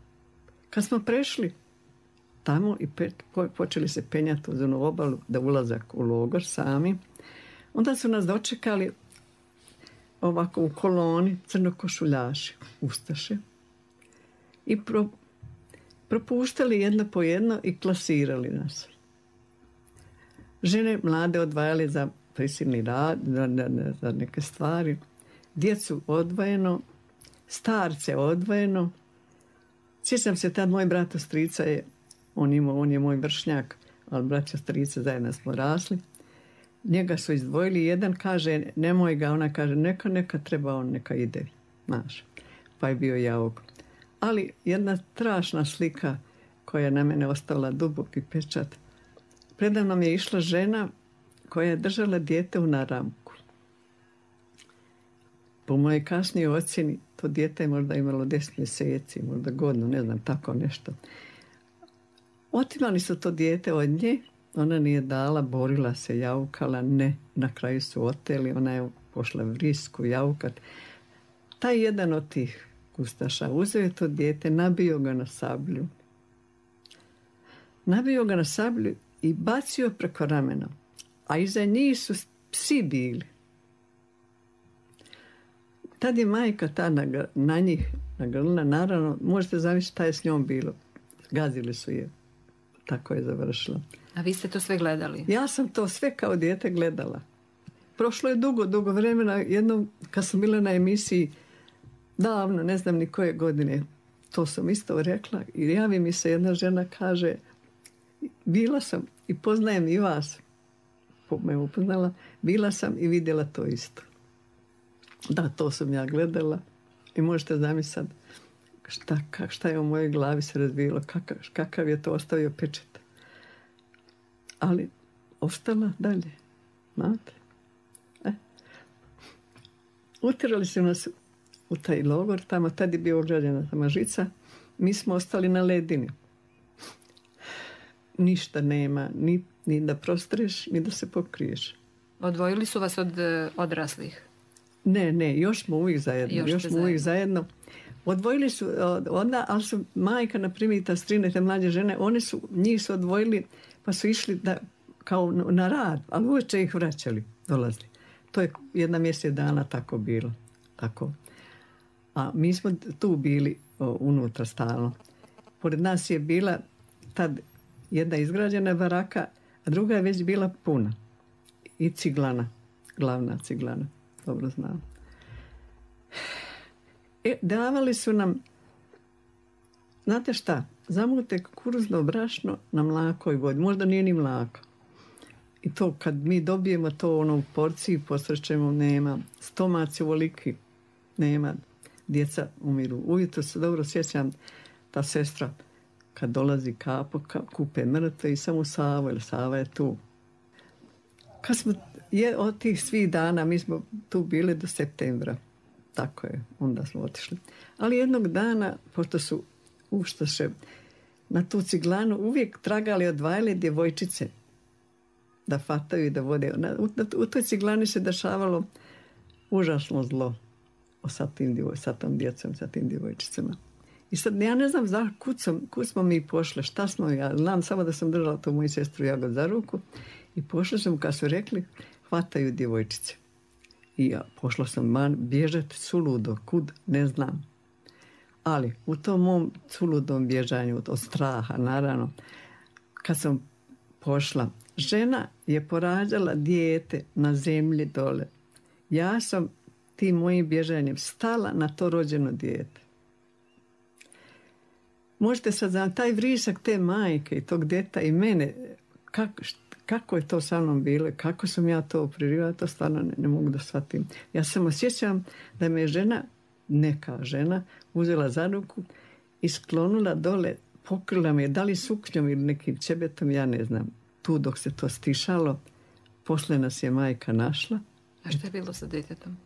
Kad smo prešli tamo i pe, po, počeli se penjati uz onu obalu da ulazak u logor sami, onda su nas dočekali ovako u koloni crnokošuljaši, ustaše, i pro, propuštali jedno po jedno i klasirali nas. Žene mlade odvajali za prisilni rad, za, za neke stvari, djecu odvojeno, starce odvojeno. Sjećam se, tad moj brat strica je, on, imao, on je moj vršnjak, ali braća strica zajedno smo rasli. Njega su izdvojili, jedan kaže nemoj ga, ona kaže neka, neka treba, on neka ide, znaš. Pa je bio jauk. Ali jedna strašna slika koja je na mene ostala duboki pečat. Predavnom je išla žena koja je držala dijete u naramku. Po mojej kasnijoj ocjeni to dijete je možda imalo deset mjeseci, možda godinu, ne znam, tako nešto. Otimali su to dijete od nje, ona nije dala, borila se, jaukala, ne. Na kraju su oteli, ona je pošla v risku jaukat. Taj jedan od tih kustaša uzeo je to dijete, nabio ga na sablju. Nabio ga na sablju i bacio preko ramena. A iza njih su psi bili. Tad je majka ta na, na njih nagrlila, naravno, možete zamisliti šta je s njom bilo. Gazili su je. Tako je završila. A vi ste to sve gledali? Ja sam to sve kao dijete gledala. Prošlo je dugo, dugo vremena. Jednom kad sam bila na emisiji, davno, ne znam ni koje godine, to sam isto rekla i javi mi se jedna žena, kaže bila sam i poznajem i vas, me upoznala, bila sam i vidjela to isto. Da, to sam ja gledala i možete zamisliti šta, šta je u mojoj glavi se razvijelo, kakav, kakav je to ostavio pečat. Ali ostala dalje, znate. E. Utjerali su nas u taj logor, tamo tad je bio ograđena tamo žica, mi smo ostali na ledini. Ništa nema, ni, ni da prostreš, ni da se pokriješ. Odvojili su vas od odraslih? Ne, ne, još smo uvijek zajedno. Još, još smo uvijek zajedno. Odvojili su onda, ali su majka, na primjer, i ta strine, te mlađe žene, one su, njih su odvojili, pa su išli da, kao na rad, ali uveče ih vraćali, dolazili. To je jedna mjesec dana tako bilo. Tako. A mi smo tu bili o, unutra stalno. Pored nas je bila tad jedna izgrađena baraka, a druga je već bila puna. I ciglana, glavna ciglana, dobro znam. E, davali su nam, znate šta, zamute kukuruzno brašno na mlakoj vodi, možda nije ni mlako. I to kad mi dobijemo to ono u porciji, posrećemo, nema. Stomaci ovoliki, nema. Djeca umiru. Ujutro se dobro sjećam, ta sestra kad dolazi kapo, ka, kupe mrtve i samo Savo, jer Sava je tu. Kad smo je, od tih svih dana, mi smo tu bili do septembra. Tako je, onda smo otišli. Ali jednog dana, pošto su ustaše na tu ciglanu uvijek tragali, odvajali djevojčice da fataju i da vode. Na, u, u toj ciglani se dešavalo užasno zlo sa, tim djevoj, sa tom djecom, sa tim djevojčicama. I sad ja ne znam za, kud, sam, kud smo mi pošle, šta smo, ja znam samo da sam držala tu moju sestru Jagod za ruku i pošla sam, kad su rekli, hvataju djevojčice. I ja pošla sam man bježati suludo, kud, ne znam. Ali u tom mom suludom bježanju od straha, naravno, kad sam pošla, žena je porađala dijete na zemlji dole. Ja sam tim mojim bježanjem stala na to rođeno dijete. Možete sad znam, taj vrisak te majke i tog djeta i mene, kako, kako je to sa mnom bilo, kako sam ja to pririvala, to stvarno ne, ne mogu da shvatim. Ja samo osjećam da me žena, neka žena, uzela za ruku i sklonula dole, pokrila me, da li suknjom ili nekim čebetom, ja ne znam. Tu dok se to stišalo, posle nas je majka našla. A što je bilo sa djetetom?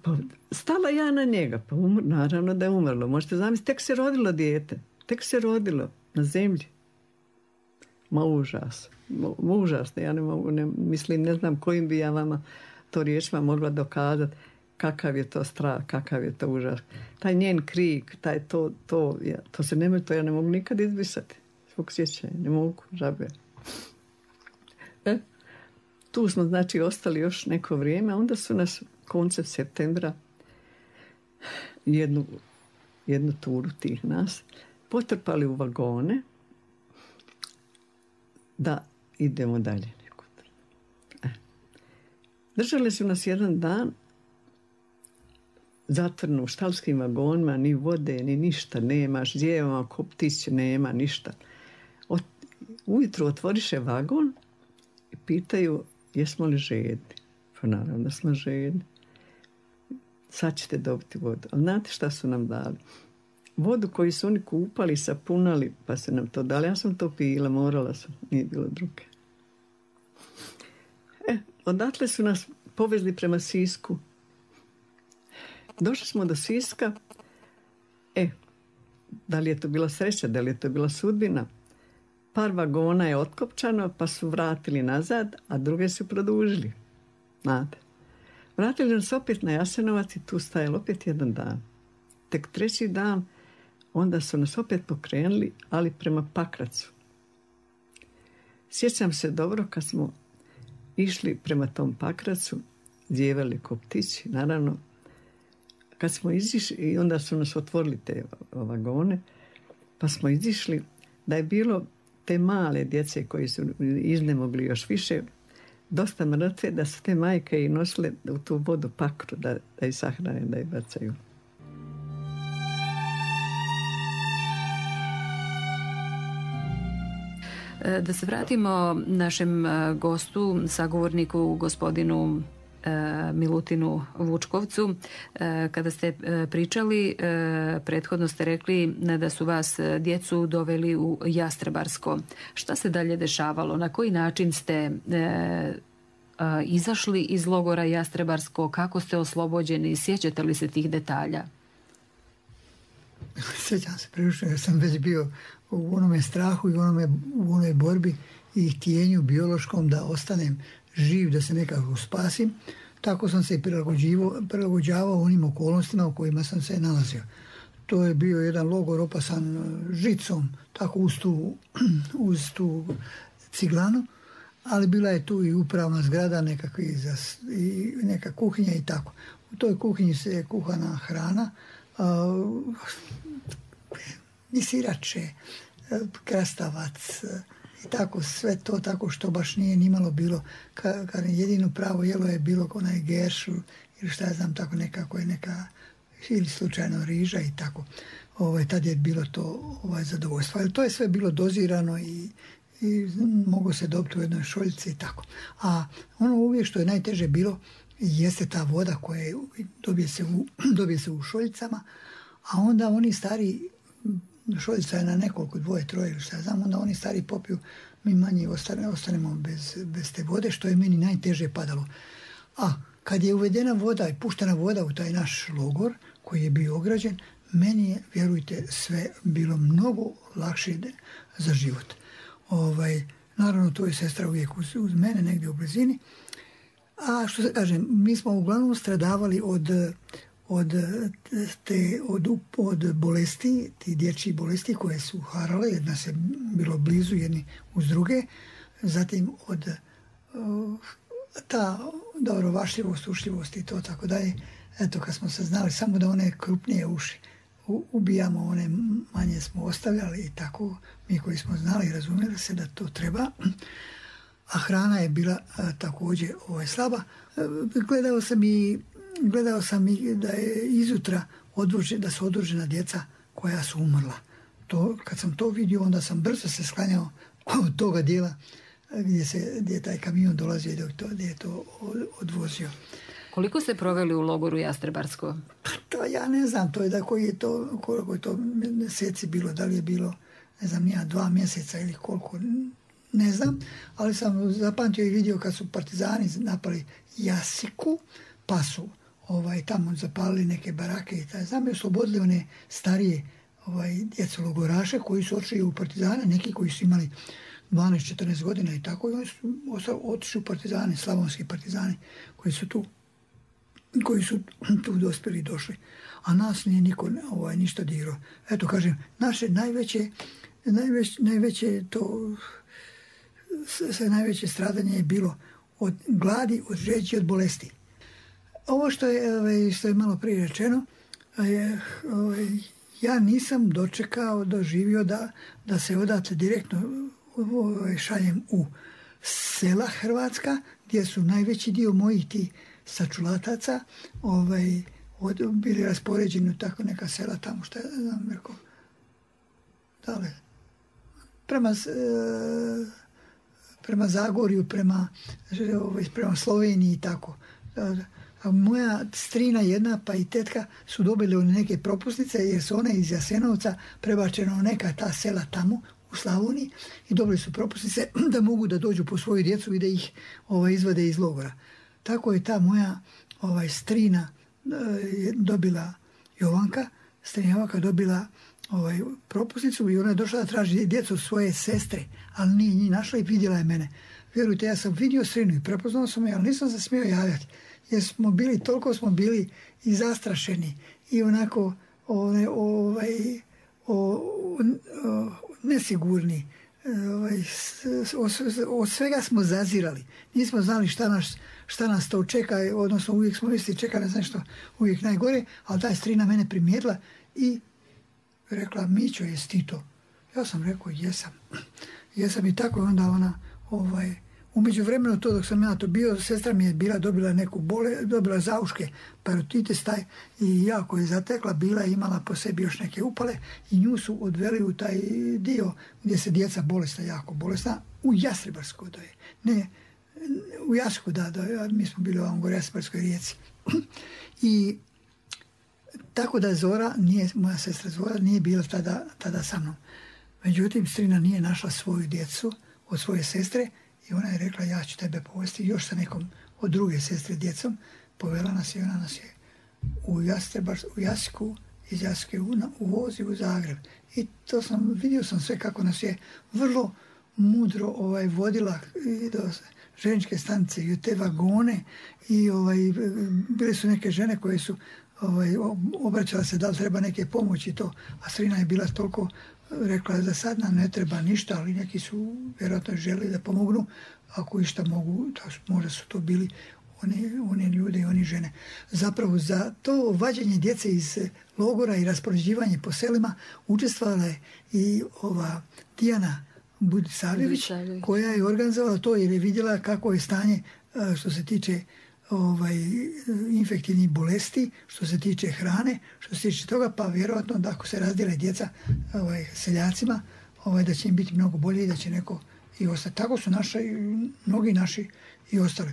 Pa, stala ja na njega, pa umr, naravno da je umrlo. Možete zamisliti, tek se rodilo dijete, tek se rodilo na zemlji. Ma užas, ma, užasno, ja ne mogu, ne, mislim, ne znam kojim bi ja vama to riječima mogla dokazati kakav je to strah, kakav je to užas. Taj njen krik, taj to, to, ja, to se ne može, to ja ne mogu nikad izbrisati. Svog sjećanja, ne mogu, žabe. E, tu smo, znači, ostali još neko vrijeme, onda su nas koncem septembra jednu, jednu turu tih nas potrpali u vagone da idemo dalje nekud. E. Držali su nas jedan dan zatvoreno u štalskim vagonima, ni vode, ni ništa nema, ždjevama, ko ptić nema, ništa. Od, ujutru otvoriše vagon i pitaju jesmo li žedni. Pa naravno da smo žedni. Sad ćete dobiti vodu. Ali znate šta su nam dali? Vodu koju su oni kupali, sapunali, pa su nam to dali. Ja sam to pila, morala sam, nije bilo druge. E, odatle su nas povezli prema Sisku. Došli smo do Siska. E, da li je to bila sreća, da li je to bila sudbina? Par vagona je otkopčano, pa su vratili nazad, a druge su produžili. Znate. Vratili nas opet na Jasenovac i tu stajali opet jedan dan. Tek treći dan, onda su nas opet pokrenuli, ali prema Pakracu. Sjećam se dobro kad smo išli prema tom Pakracu, zjevali ko ptići, naravno. Kad smo izišli, i onda su nas otvorili te vagone, pa smo izišli, da je bilo te male djece koji su iznemogli još više, dosta mrtve, da su te majke i nosile u tu vodu pakru, da, da ih sahrane, da ih bacaju. Da se vratimo našem gostu, sagovorniku, gospodinu Milutinu Vučkovcu. Kada ste pričali, prethodno ste rekli da su vas djecu doveli u Jastrebarsko. Šta se dalje dešavalo? Na koji način ste izašli iz logora Jastrebarsko? Kako ste oslobođeni? Sjećate li se tih detalja? Sjećam se prilično jer sam već bio u onome strahu i u, onome, u onoj borbi i htjenju biološkom da ostanem živ, da se nekako spasim. Tako sam se prilagođavao onim okolnostima u kojima sam se nalazio. To je bio jedan logor opasan žicom, tako uz tu, uz tu ciglanu, ali bila je tu i upravna zgrada, nekakvi, i neka kuhinja i tako. U toj kuhinji se je kuhana hrana, uh, i sirače, krastavac, i tako sve to, tako što baš nije nimalo bilo, ka, ka jedino pravo jelo je bilo onaj geršu ili šta ja znam, tako nekako je neka, ili slučajno riža i tako. Ovaj, tad je bilo to ovaj, zadovoljstvo. Ali to je sve bilo dozirano i, i mogo se dobiti u jednoj šoljici i tako. A ono uvijek što je najteže bilo jeste ta voda koja je, dobije, se u, dobije se u šoljicama, a onda oni stari, šoljica je na nekoliko, dvoje, troje ili šta znam, onda oni stari popiju, mi manje ostane, ostanemo bez, bez te vode, što je meni najteže padalo. A kad je uvedena voda i puštena voda u taj naš logor, koji je bio ograđen, meni je, vjerujte, sve bilo mnogo lakše za život. Ovaj, naravno, to je sestra uvijek uz, uz mene, negdje u blizini. A što se kažem, mi smo uglavnom stradavali od... Od, te, od, od bolesti, ti dječji bolesti koje su harale, jedna se bilo blizu jedni uz druge, zatim od uh, ta dobrovašljivost, ušljivost i to tako dalje. Eto, kad smo se znali samo da one krupnije uši u, ubijamo, one manje smo ostavljali i tako, mi koji smo znali i razumjeli se da to treba. A hrana je bila uh, također ovaj, slaba. Uh, gledao sam i Gledao sam i da je izutra odvože, da su odvožena djeca koja su umrla. To, kad sam to vidio, onda sam brzo se sklanjao od toga dijela gdje, se, gdje je taj kamion dolazio i to, gdje je to odvozio. Koliko ste proveli u logoru Jastrebarsko? To ja ne znam, to je da koji je to, koliko je to mjeseci bilo, da li je bilo, ne znam, nija dva mjeseca ili koliko, ne znam, ali sam zapamtio i vidio kad su partizani napali Jasiku, pa su ovaj, tamo zapalili neke barake i taj znam, oslobodili one starije ovaj, djecu logoraše koji su otišli u partizane, neki koji su imali dvanaest četrnaest godina i tako, i oni su otišli u partizani, slavonski partizani, koji su tu, koji su tu dospjeli i došli. A nas nije niko ovaj, ništa dirao. Eto, kažem, naše najveće, najveće, najveće to, sve najveće stradanje je bilo od gladi, od žeđi, od bolesti. Ovo što je, ovaj, što je malo prije rečeno, je, ovaj, ja nisam dočekao, doživio da, da se odatle direktno ovaj, šaljem u sela Hrvatska, gdje su najveći dio mojih ti sačulataca ovaj, od, bili raspoređeni u tako neka sela tamo, što je, znam, rekao, dale, prema, e, prema Zagorju, prema, ovaj, prema Sloveniji i tako. A moja strina jedna pa i tetka su dobili neke propusnice jer su one iz Jasenovca prebačene u neka ta sela tamo u Slavoniji i dobili su propusnice da mogu da dođu po svoju djecu i da ih ovaj, izvade iz logora. Tako je ta moja ovaj, strina e, dobila Jovanka, strina Jovanka dobila ovaj, propusnicu i ona je došla da traži djecu svoje sestre, ali nije njih našla i vidjela je mene. Vjerujte, ja sam vidio strinu i prepoznao sam je, ali nisam se smio javljati. Jer smo bili, toliko smo bili i zastrašeni i onako ovaj, ovaj, o, o, nesigurni. Ovaj, od svega smo zazirali. Nismo znali šta nas, šta nas to čeka, odnosno uvijek smo mislili čeka ne znam što uvijek najgore, ali ta strina mene primijetila i rekla, Mićo, jesi ti to? Ja sam rekao, jesam. Jesam i tako onda ona ovaj, u međuvremenu to dok sam ja to bio, sestra mi je bila dobila neku bole, dobila zauške, parotitis taj i jako je zatekla, bila je imala po sebi još neke upale i nju su odveli u taj dio gdje se djeca bolesna, jako bolesna, u Jastrebarsko da je. Ne, u Jasku da, da, mi smo bili u ovom gore Jastrebarskoj rijeci. I tako da Zora, nije, moja sestra Zora, nije bila tada, tada sa mnom. Međutim, strina nije našla svoju djecu od svoje sestre i ona je rekla, ja ću tebe povesti još sa nekom od druge sestre djecom. Povela nas i ona nas je u, Jastrebar, u Jasku, iz Jaske u, u vozi u Zagreb. I to sam, vidio sam sve kako nas je vrlo mudro ovaj, vodila i do ženičke stanice i u te vagone i ovaj, bile su neke žene koje su ovaj, obraćala se da li treba neke pomoći to, a strina je bila toliko rekla da sad nam ne treba ništa, ali neki su vjerojatno želi da pomognu, ako išta mogu, to, možda su to bili oni, oni ljudi i oni žene. Zapravo za to vađenje djece iz logora i raspoređivanje po selima učestvovala je i ova Dijana Budisavljević, koja je organizovala to jer je vidjela kako je stanje što se tiče ovaj, infektivnih bolesti, što se tiče hrane, što se tiče toga, pa vjerojatno da ako se razdjele djeca ovaj, seljacima, ovaj, da će im biti mnogo bolje i da će neko i ostati. Tako su naši, mnogi naši i ostali.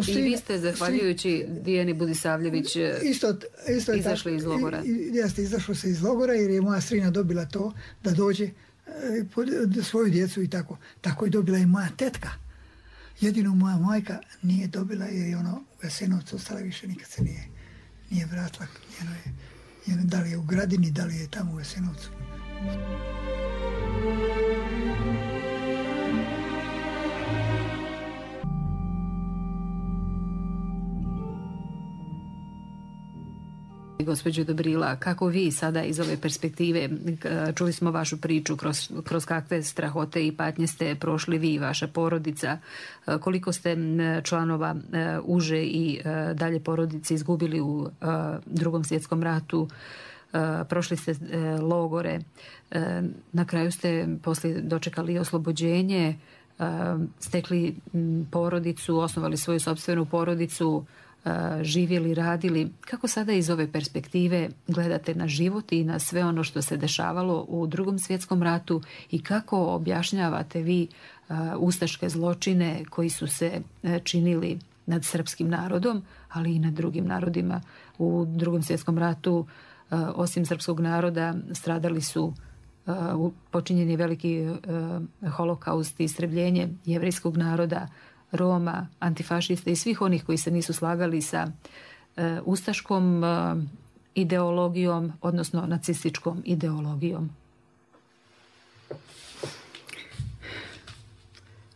I vi ste, zahvaljujući Dijani Budisavljević, isto, isto izašli iz logora. Jeste, izašlo se iz logora jer je moja strina dobila to da dođe e, svoju djecu i tako. Tako je dobila i moja tetka. Jedino moja majka nije dobila jer je ona u Jasenovcu ostala, više nikad se nije, nije vratila. Njeno je, njeno, da li je u Gradini, da li je tamo u Jasenovcu. Gospođo Dobrila, kako vi sada iz ove perspektive, čuli smo vašu priču kroz, kroz kakve strahote i patnje ste prošli vi i vaša porodica, koliko ste članova uže i dalje porodice izgubili u Drugom svjetskom ratu, prošli ste logore, na kraju ste poslije dočekali oslobođenje, stekli porodicu, osnovali svoju sopstvenu porodicu, živjeli, radili. Kako sada iz ove perspektive gledate na život i na sve ono što se dešavalo u Drugom svjetskom ratu i kako objašnjavate vi ustaške zločine koji su se činili nad srpskim narodom, ali i nad drugim narodima u Drugom svjetskom ratu? Osim srpskog naroda stradali su, počinjen je veliki holokaust i istrebljenje jevrejskog naroda, Roma, antifašiste i svih onih koji se nisu slagali sa e, ustaškom e, ideologijom, odnosno nacističkom ideologijom.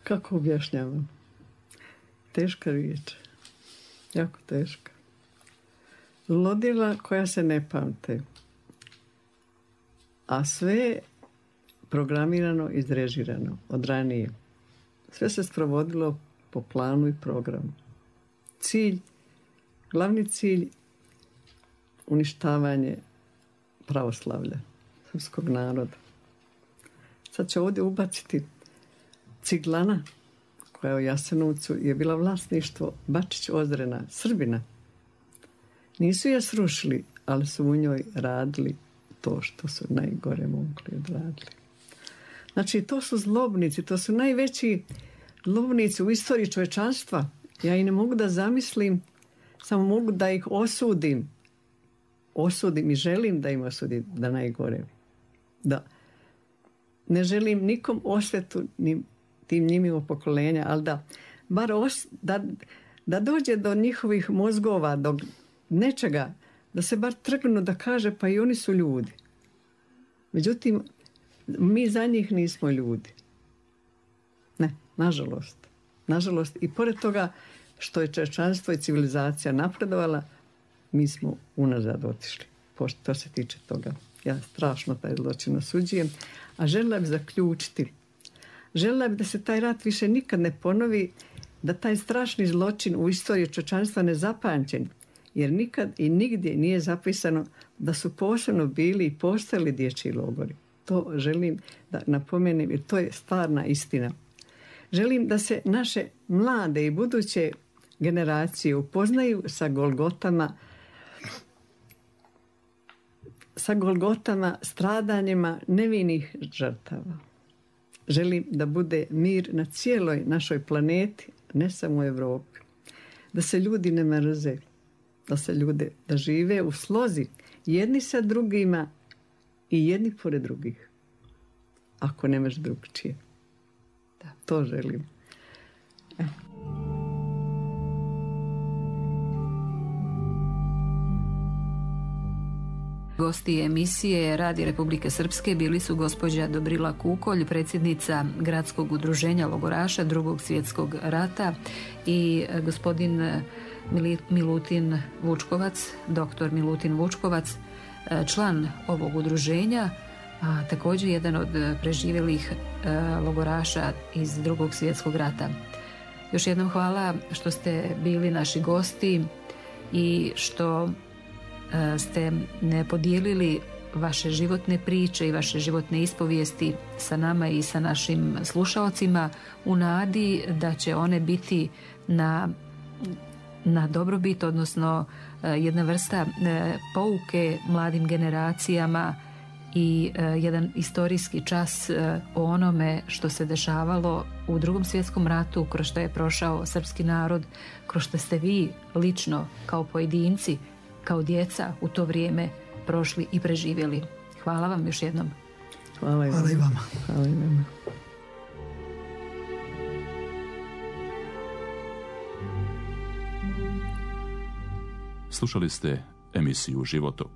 Kako objašnjavam? Teška riječ. Jako teška. Ludila koja se ne pamte. A sve programirano, izrežirano od ranije. Sve se sprovodilo po planu i programu. Cilj, glavni cilj, uništavanje pravoslavlja, srpskog naroda. Sad ću ovdje ubaciti ciglana, koja u Jasenovcu je bila vlasništvo Bačić Ozrena, Srbina. Nisu je srušili, ali su u njoj radili to što su najgore mogli odradili. Znači, to su zlobnici, to su najveći zlobnici u istoriji čovječanstva. Ja i ne mogu da zamislim, samo mogu da ih osudim. Osudim i želim da im osudim da najgore. Da ne želim nikom osvetu ni tim njimimo pokolenja, ali da bar os, da, da dođe do njihovih mozgova, do nečega, da se bar trgnu da kaže pa i oni su ljudi. Međutim, mi za njih nismo ljudi. Ne, nažalost. Nažalost, i pored toga što je čovječanstvo i civilizacija napredovala, mi smo unazad otišli. Što se tiče toga. Ja strašno taj zločin osuđujem. A željela bih zaključiti. Željela bih da se taj rat više nikad ne ponovi, da taj strašni zločin u istoriji čovječanstva ne zapamćen, jer nikad i nigdje nije zapisano da su posebno bili i postojali dječji logori. To želim da napomenem, jer to je stvarna istina. Želim da se naše mlade i buduće generacije upoznaju sa golgotama, sa golgotama, stradanjima nevinih žrtava. Želim da bude mir na cijeloj našoj planeti, ne samo u Europi. Da se ljudi ne mrze, da se ljude, da žive u slozi jedni sa drugima i jedni pored drugih. Ako nemaš drugčije. Da, to želim. E. Gosti emisije Radi Republike Srpske bili su gospođa Dobrila Kukolj, predsjednica Gradskog udruženja logoraša Drugog svjetskog rata, i gospodin Milutin Vučkovac, doktor Milutin Vučkovac, član ovog udruženja, a također jedan od preživjelih logoraša iz Drugog svjetskog rata. Još jednom hvala što ste bili naši gosti i što ste ne podijelili vaše životne priče i vaše životne ispovijesti sa nama i sa našim slušaocima u nadi da će one biti na, na dobrobit, odnosno jedna vrsta pouke mladim generacijama i jedan istorijski čas o onome što se dešavalo u Drugom svjetskom ratu, kroz što je prošao srpski narod, kroz što ste vi lično kao pojedinci, kao djeca u to vrijeme prošli i preživjeli. Hvala vam još jednom. Hvala i vama. Hvala i vama. Hvala i vama. Slušali ste emisiju Životok.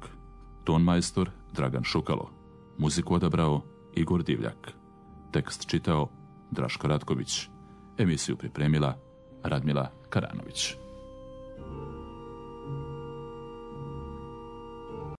Ton majstor Dragan Šukalo. Muziku odabrao Igor Divljak. Tekst čitao Draško Ratković. Emisiju pripremila Radmila Karanović.